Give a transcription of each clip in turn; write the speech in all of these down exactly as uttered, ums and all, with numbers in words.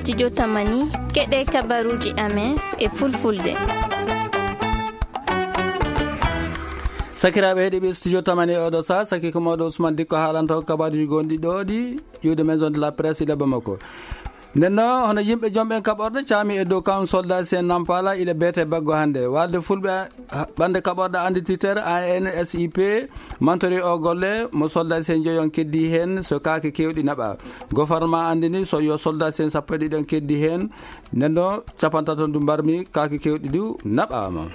Studio Tamani, keɗe kabaruuji amen e fulfulde. Sakiraaɓe heɗiiɓe Studio Tamani e oɗo saa, saki ko mawɗo Ousmane Dikko haalanta on kabaruuji gonɗi ɗo ɗi, ƴuwde Maison de la Presse ila Bamako. Nden noon, hono yimɓe jom ɓen kaɓorɗe caami e dow kam soldat si en Nampala ila beete baggo hannde. Walde fulɓe, ah, ɓannde kaɓorɗe anndititere A N S I P mantori o golle mo soldat si en joyon keddi heen so kaake keewɗi naɓa. Gofornma anndini so yo soldat si en sappo e ɗiɗon keddi heen. Nden noon, capantato ndu mbarmi kaake keewɗi du naɓaama.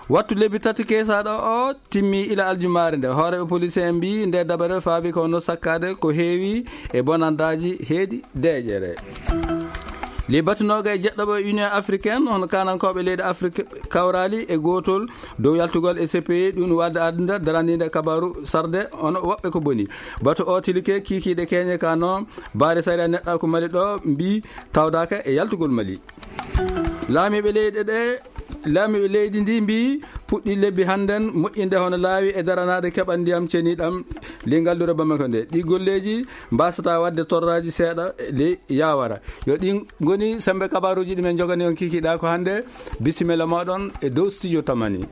Wattu lebbi tati keesaaɗo o timmi ila aljumaare nde. Hooreeɓe police en mbii nde dabare faabi ko no sakkaade ko heewi e bonandaaji heedi deeƴere. Li batu nooga e jeɗɗo ɓe Union Africaine, hono kaanankooɓe leydi Afrique kawraali e gootol dow yaltugol e C P I, ɗum wadde aduna daraniinde kabaaru sarde, hono woɓɓe ko boni. Batu o tilike kiikiiɗe keñe ka no baare sariya neɗɗaaku Mali ɗo mbii tawdaaka e yaltugol Mali. Laamiiɓe leyɗe ɗe Laamiiɓe leydi ndi mbii puɗɗi lebbi hannden moƴƴinde hono laawi e daranaade keɓal ndiyam ceniɗam ley ngallure Bamako nde. Ɗi golleeji mbasata waɗde torraaji seeɗa ley yaawara. Yo ɗi ngoni sembe kabaaruuji ɗi men njogani on kikiɗa ko hannde. Bisimilla moɗon e dow studio Tamani.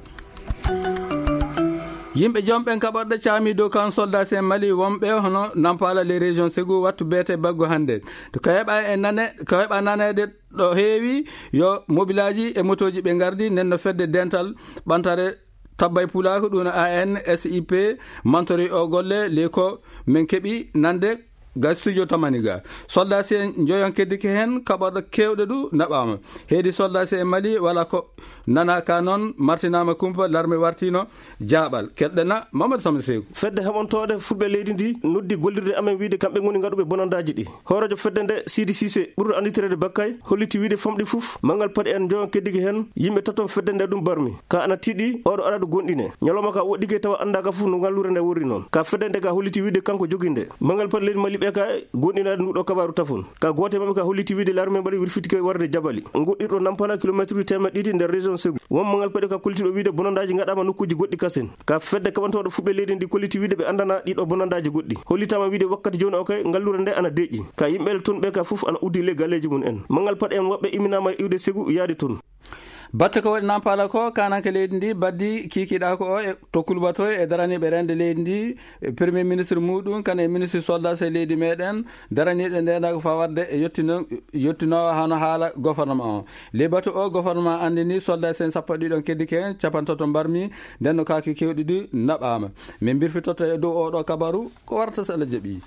Yimɓe jom ɓen kaɓorɗe caami dow kan soldat si en Mali wonɓe hono Nampala les régions Ségou wattu beete baggo hannde. To ka heɓa e nane, ka heɓa naneede ɗo heewi yo mobilaaji e motooji ɓe ngardi, nden no fedde dental ɓantare tabbay pulaaku, ɗum A N S I P, mantori o golle ley ko men keɓi nande ga studio Tamani ga. Soldat si en njoyon keddike heen, kaɓorɗo keewɗo du naɓaama. Heedi soldat si en Mali wala ko nanaka noon, martinaama kumpa, larme wartino jaaɓal. Keɗɗena Mamadou Sama Seeku. Fedde heɓontooɗe fulɓe leydi ndi noddi gollirde amen wiide kamɓe ngoni ngaɗuɓe bonandaaji ɗi. Hooreejo fedde nde, Sidi Sise, ɓurɗo annditirede Bakkay, holliti wiide famɗi fof, manngal paɗi en njoyon keddigi heen, yimɓe taton fedde nde ɗum barmi. Ka ana tiiɗi, oɗo araɗo gonɗine. Ñalawma ka woɗɗike tawa anndaaka fof no ngallure nde worri noon. Ka fedde nde ka holliti wiide kanko jogi nde. Manngal paɗi leydi Mali ɓe ka gonɗinaade nduɗo kabaaru tafon. Ka goote maɓɓe ka holliti wiide larme mbaɗi wirfitike warde jabali. Ngoɗɗirɗo Nampala kilometre teemeɗɗe ɗiɗi nder région Ségou. Won manngal paɗi ka kollitiɗo wiide bonandaaji ngaɗaama nokkuuji goɗɗi kasen. Ka fedde kaɓantooɗo fuɓɓe leydi ndi kolliti wiide ɓe anndana ɗiɗo bonandaaji goɗɗi. Hollitaama wiide wakkati jooni o kay, ngallure nde ana deƴƴi. Ka yimɓe ton ɓe ka fof ana uddi ley galleeji mum en. Manngal paɗi en woɓɓe imminaama iwde Ségou yaade ton. Batte ko waɗi Nampala ko, kananke leydi ndi baddi kikiɗa ko o e to kulbatoy e daraniiɓe rende leydi ndi, e Premier ministre muɗum, kan e ministre soldat e leydi meɗen, daraniiɗo ndendaangu fawarde e yettino-, yettinoowo hano haala gouvernement o. Ley batu o, gouvernement anndini soldat en sappo e ɗiɗon keddike heen, capantato mbarmi, nden no kaaki keewɗi ɗi naɓaama. Min mbirfitoto e dow oɗo kabaru, ko warata so Allah jaɓi.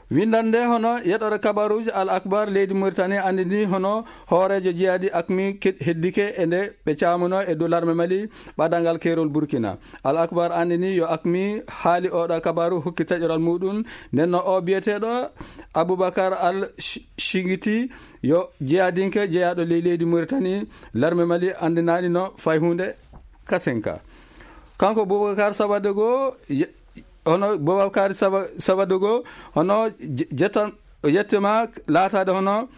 Winndannde hono yeɗore kabaruuji Al Akbar leydi Mauritanie anndini hono hooreejo jihaadi akmi ke-, heddike e nde ɓe caamuno e dow larme Mali ɓadanngal keerol Burkina. Al Akbar anndini yo akmi haali oɗo kabaru hokki taƴoral muɗum. Nden no o biyeteeɗo Aboubacar Al Sh-, Shingiti yo jihaadinke jeyaaɗo ley leydi Mauritanie, larme Mali anndinaani no fay huunde kasenka. Kanko Boubacar Sabadogo, ye-, hono Boubacar Saba-, Sabadogo, hono je-, jettan-, o yettama laataade hono,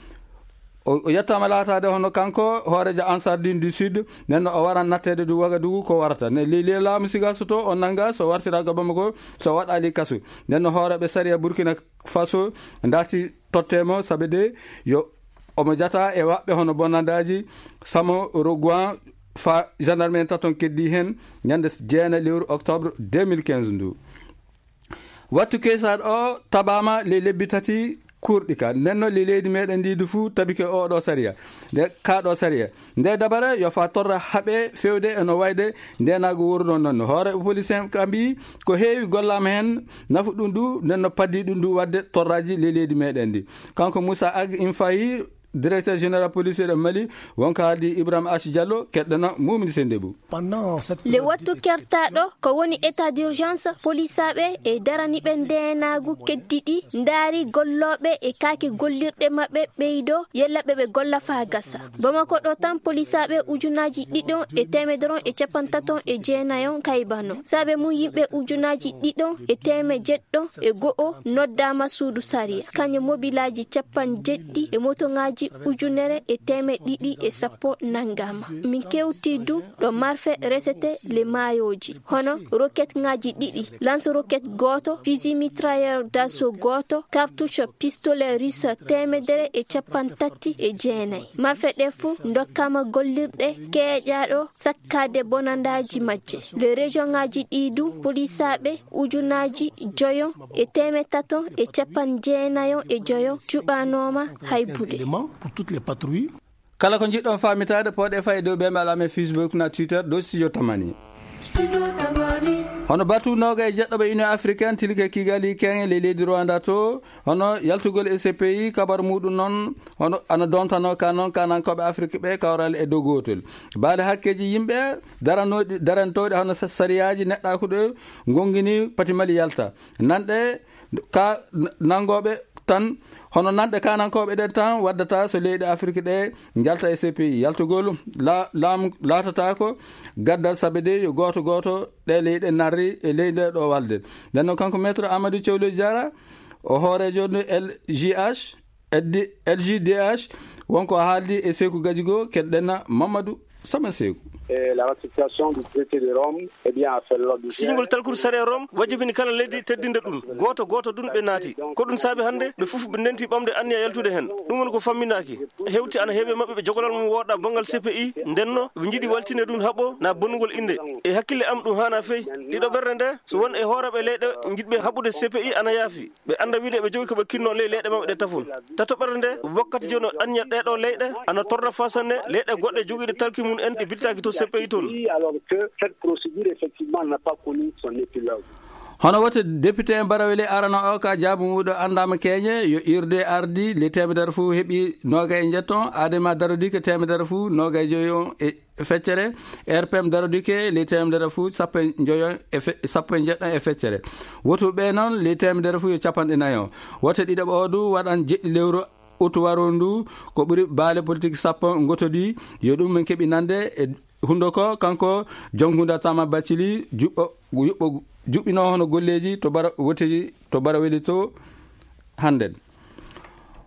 o, o yettama laataade hono kanko hooreejo Ansar Dine du Sud, nden no o waran natteede du Wagadugu ko warata. Ne ley, ley laamu siga so to o nanga, so wartira ga Bamako, so waɗali kasu. Nden no hooreeɓe sariya Burkina Faso darti tottemo sabe de yo omo jata e waɓɓe hono bonandaaji Samo Roguan fa gendarme en taton keddi heen ñande jeenayi lewru octobre deux mille quinze ndu. Wattu keesaɗo o tabaama ley lebbi tati kurɗi ka. Nden no ley leydi meɗen ndi du fuu tabike oɗo sariya. Nde kaɗo sariya. Nde dabare yo fa torra haɓe fewde e no wayde ndenaagu wuurɗon noon. Hoore police en ka mbii ko heewi gollaama heen nafu ɗum du, nden no paddi ɗum du waɗde torraaji ley leydi meɗen ndi. Kanko Moussa Ag Infayi, directeur général police de Mali, wonko haaldi Ibrahima Achi Diallo, keɗɗana Mumini Sendebu. Le wattu kertaɗo ko woni état d'urgence, polisaaɓe e daraniiɓe ndeenaagu keddiɗi ndaari gollooɓe e kaake gollirɗe maɓɓe ɓeydo yella ɓe ɓe golla faa gasa. Bamako ɗo tan polisaaɓe ujunaaji ɗiɗon e teemedere e capantaton e jeenayon kaybano. Saabe mum yimɓe ujunaaji ɗiɗon e teeme jeɗɗo e go'o noddaama suudu sariya. Kañum mobilaaji capanɗe jeɗɗi e motoŋaaji ujunere e teemeɗe ɗiɗi e sappo nanngaama. Min kewtii du ɗo marfe resete le maayooji, hono roket ŋaaji ɗiɗi, lance roket gooto, fusil mitrailleur d'assaut gooto, cartouche pistolet russe teemedere e capanɗe tati e jeenayi. Marfe ɗe fuu ndokkaama gollirɗe keeƴaaɗo sakkaade bonandaaji majje. Le région ŋaaji ɗi du polisaaɓe ujunaaji joyo e teemeɗe tato e capanɗe jeenayo e joyo cuɓanooma hay buɗe. Éléments pour toutes les patrouilles. Kala ko njiɗɗon faamitaade, pooɗe faa e dow ɓe mbaɗa amen Facebook na Twitter dow Studio Tamani. Hono batu nooga e jeɗɗo ɓe Union Africaine tilike Kigali Kenya ley leydi Rwanda to, hono yaltugol e C P I, kabar muɗum noon, hono ana dontano ka noon kanankooɓe Afrique ɓe kawral e dow gootol. Baale hakkeeji yimɓe daranooɗi, darantooɗi hono sa-, sariyaaji neɗɗaaku ɗo ngongini pati Mali yalta. Nanɗe ka n-, nangooɓe tan, hono nanɗe kanankooɓe ɗen tan waddata so leyɗe Afrique ɗe njalta e C P I. Yaltugol la-, laamu laatata ko gaddal sabe de yo gooto gooto ɗe leyɗe narri e leyɗe ɗo walde. Nden noon kanko Maître Amadou Cewlo Diarra, o hooreejo no L G H, L G D H, wonko haaldi e Seeku Gajigo, keɗɗen Mamadou Sama Seeku. Et la ratification du traité de Rome, eh bien, a fait l'objet. Siñgol talkuru sariya Rome wajibini kala leydi teddinde ɗum. Gooto gooto ɗum ɓe naati. Ko ɗum saabi hannde ɓe fof ɓe ndenti ɓamde anniya yaltude heen. Ɗum woni ko famminaaki. Hewti ana heewi e maɓɓe ɓe jogolal mum wooɗa banngal C P I, ndenno ɓe njiɗi waltinde ɗum haɓo na bonnugol innde. E hakkille am ɗum haana fey. Ɗiɗo ɓerde nde, so won e hooreeɓe leyɗe njiɗɓe haɓude C P I ana yaafi. Ɓe annda wiide ɓe jogi ko ɓe kinno ley leyɗe maɓɓe ɗe tafon. Tato ɓerde nde, wakkati jooni o anniya ɗee ɗoo leyɗe, ana torra faa sanne leyɗe goɗɗe jogiiɗe talki mum en ɗe bittaaki to C P I toon. Alors que cette procédure, effectivement, n'a pas connu son épilogue. Hono wote député en Barawele arana o ka jaabu muɗo anndaama keñe yo irde ardi le teemedere fof heɓi noga e njetton, Adema Darodike teemedere fof noga e joyo e feccere, R P M Darodike le teemedere fof sappo e joyo e fe-, sappo e jeɗɗo e feccere. Wotuɓe noon le teemedere fof yo capanɗe nayo. Wote ɗiɗo ɓo du waɗan jeɗɗi lewru utu waro ndu, ko ɓuri baale politique sappo ngotodi, yo ɗum min keɓi nande e hundo ko kanko Jonkuda Tama Bacili juɓɓo, juɓɓo, juɓɓino hono golleeji to bara, woteji to bara weli to hannden.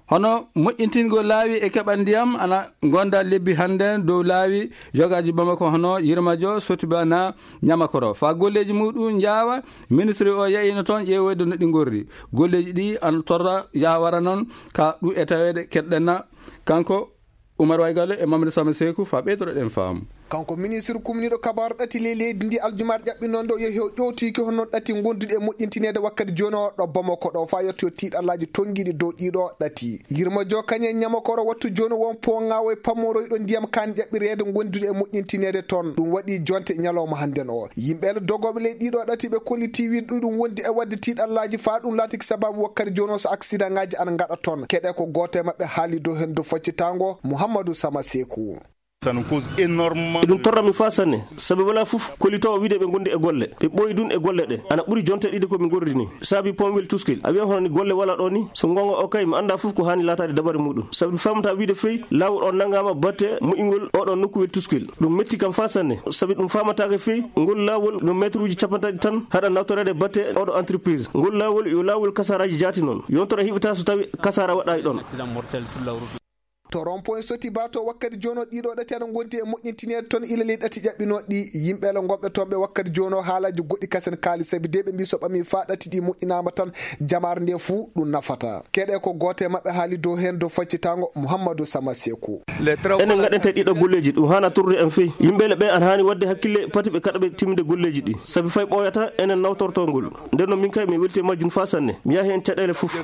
Hono moƴƴintingol laawi e keɓal ndiyam ana gonda lebbi hannden dow laawi yogaaji Bamako hono Yirmajo, Sotiba na Ñamakoro. Faa golleeji muɗum njaawa, ministre o yahino toon ƴeewoyde no ɗi ngorri. Golleeji ɗi ana torra yawara noon ka ɗum e taweede keɗɗenna kanko Umar Waygallo e Mamadou Sama Seeku faa ɓeydoro ɗen faamu. Kanko ministre kumniiɗo kabaaru ɗati ley leydi ndi aljumaare ƴaɓɓinoo nde o yehi o ƴootiki hono ɗati ngonduɗi e moƴƴintineede wakkati jooni o ɗo Bamako ɗo faa yettoyo tiiɗallaaji tonngiiɗi dow ɗiɗo ɗati. Yirma Jokañe Ñamakoro wattu jooni won pooŋaawo e pammoroyɗo ndiyam kaan ƴaɓɓireede ngonduɗi e moƴƴintineede toon. Ɗum waɗi jonte ñalawma hannden o. Yimɓe le dogooɓe ley ɗiɗo ɗati ɓe kolliti wiide ɗuɗum wondi e waɗde tiiɗallaaji faa ɗum laatiki sababu wakkati jooni o so aksidaŋaaji ana ngaɗa toon. Keɗe ko gooto e maɓɓe haali dow heen dow faccitaango Muhammadu Sama Seeku. Ça nous cause énormément. Eɗum torra min faa sanne, sabi walaa fof kollitoowo wiide ɓe ngondi e golle. Ɓe ɓooyi ɗum e golle ɗe. Ana ɓuri jonte ɗiɗi ko min ngorri ni. Saabi pom wel Tuskil. A wiya hono ni golle walaa ɗo ni. So ngoonga o kay, mi anndaa fof ko haani laataade dabare muɗum. Sabi mi faamataa wiide fey, laawol o nanngaama batte moƴƴingol oɗo nokku wel Tuskil. Ɗum metti kam faa sanne. Sabi ɗum faamataake fey, ngol laawol no mètre uji capanɗe tati tan haɗa nawtoreede batte oɗo entreprise. Ngol laawol yo laawol kasaraaji jaati noon. Yontere heɓataa so tawi kasaara waɗaay ɗoon. To rond-point Sotiba to wakkati jooni o ɗiɗo ɗati ana ngondi e moƴƴintineede toon ila ley ɗati ƴaɓɓinooɗi. Yimɓe le ngonɓe toon ɓe wakkati jooni o haalaaji goɗɗi kasen kaali sabi de ɓe mbii so ɓamii faa ɗati ɗi moƴƴinaama tan jamaare nde fuu ɗum nafata. Keɗe ko gooto e maɓɓe haali dow heen dow faccitaango Muhammadu Sama Seeku. Enen ngaɗanta ɗiɗo golleeji ɗum haana torrude en fey. Yimɓe le ɓe ana haani waɗde hakkille pati ɓe kaɗa ɓe timminde golleeji ɗi. Sabi fay ɓooyata enen nawtortoo ngol. Nden noon min kay mi welti e majjum faa sanne. Mi yahi heen caɗeele fof.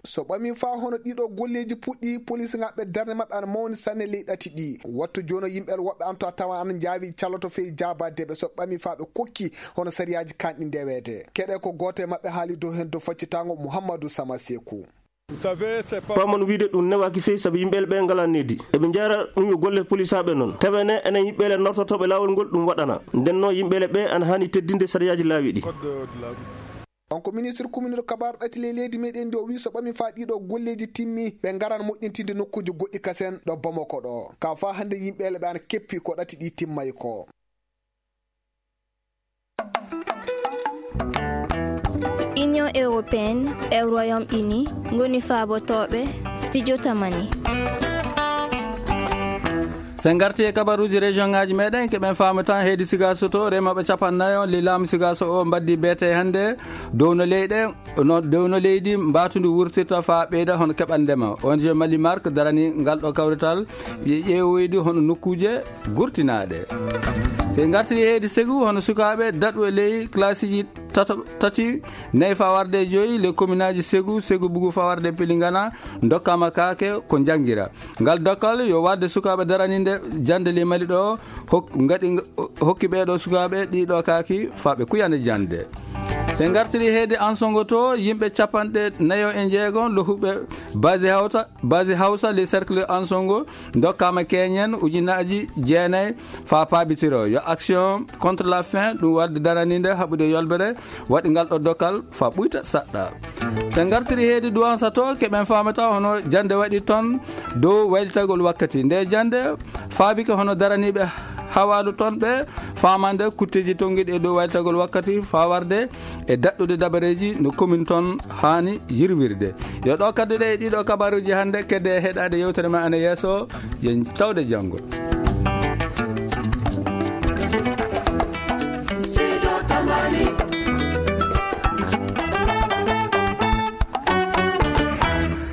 So ɓamii faa hono ɗiɗo golleeji puɗɗi, polisinaaɓe darnde maɓɓe ana mawni sanne ley ɗati ɗi. Wattu jooni o yimɓe le woɓɓe ana to a tawa ana njaawi calloto fey jaabaade ɓe so ɓamii faa ɓe kokki hono sariyaaji kaanɗi ndeweede. Keɗe ko gooto e maɓɓe haali dow heen dow faccitaango Muhammadu Sama Seeku. Paamon wiide ɗum newaaki fey sabu yimɓe le ɓe ngalaa needi. Eɓe njara ɗum yo golle polisaaɓe noon. Tawene enen yimɓe le nawtortooɓe laawol ngol ɗum waɗana. Nden noon yimɓe le ɓe ana haani teddinde sariyaaji laawi ɗi. On ko ministre kuminiiɗo kabaaru ɗati ley leydi meɗen ndi o wii so ɓami faa ɗiɗo golleeji timmi, ɓe ngaran moƴƴintinde nokkuuji goɗɗi kasen ɗo Bamako ɗo. Ka faa hannde yimɓe le ɓe ana keppi ko ɗati ɗi timmay ko. Union Européenne e Royaume-Uni ngoni faabotooɓe studio Tamani. Sen ngarti e kabaruuji région ngaaji meɗen, keɓen faama tan heedi Sigaso to, remooɓe capannayo li laamu Sigaso o mbaddi beete hannde dow no leyɗe, no dow no leydi mbatundu wurtirta faa ɓeyda hono keɓandema. O N G Mali Mark darani ngal ɗo kawrital, ƴe-, ƴeewoydi hono nokkuuje gurtinaaɗe. Sen ngartiri heedi Segu, hono sukaaɓe daɗu e ley klasiji tato-, tati, nayi faa warde e joyi, le communaaji Segu, Segu Bugu faa warde e Pelingana, ndokkaama kaake ko njanngira. Ngal dokkal yo waɗde sukaaɓe daraninde jannde ley Mali ɗo, hok-, ngaɗi, hokki ɓee ɗo sukaaɓe ɗii ɗo kaaki faa ɓe kuyana jannde. Sen ngartiri heedi Ansongo to, yimɓe capanɗe nayo e njeego lohuɓe base Hawsa, base Hawsa, le cercle Ansongo, ndokkaama keñen ujunaaji jeenayi faa paabitiro. Yo Action contre la faim, ɗum waɗde daraninde haɓude yolbere, waɗi ngal ɗo dokkal faa ɓuyta saɗɗa. Sen ngartiri heedi Duwansa to, keɓen faamata hono jannde waɗi toon dow waylitagol wakkati. Nde jannde faabike hono daraniiɓe hawaalu toon ɓe faamande kutteeji tonngiiɗi e dow waylitagol wakkati faa warde e daɗɗude dabareeji no commune toon haani yirwirde. Yo ɗo kadduɗe e ɗiɗo kabaruuji hannde, kedde e heɗaade yewtere men ana yeeso, yen tawde janngo.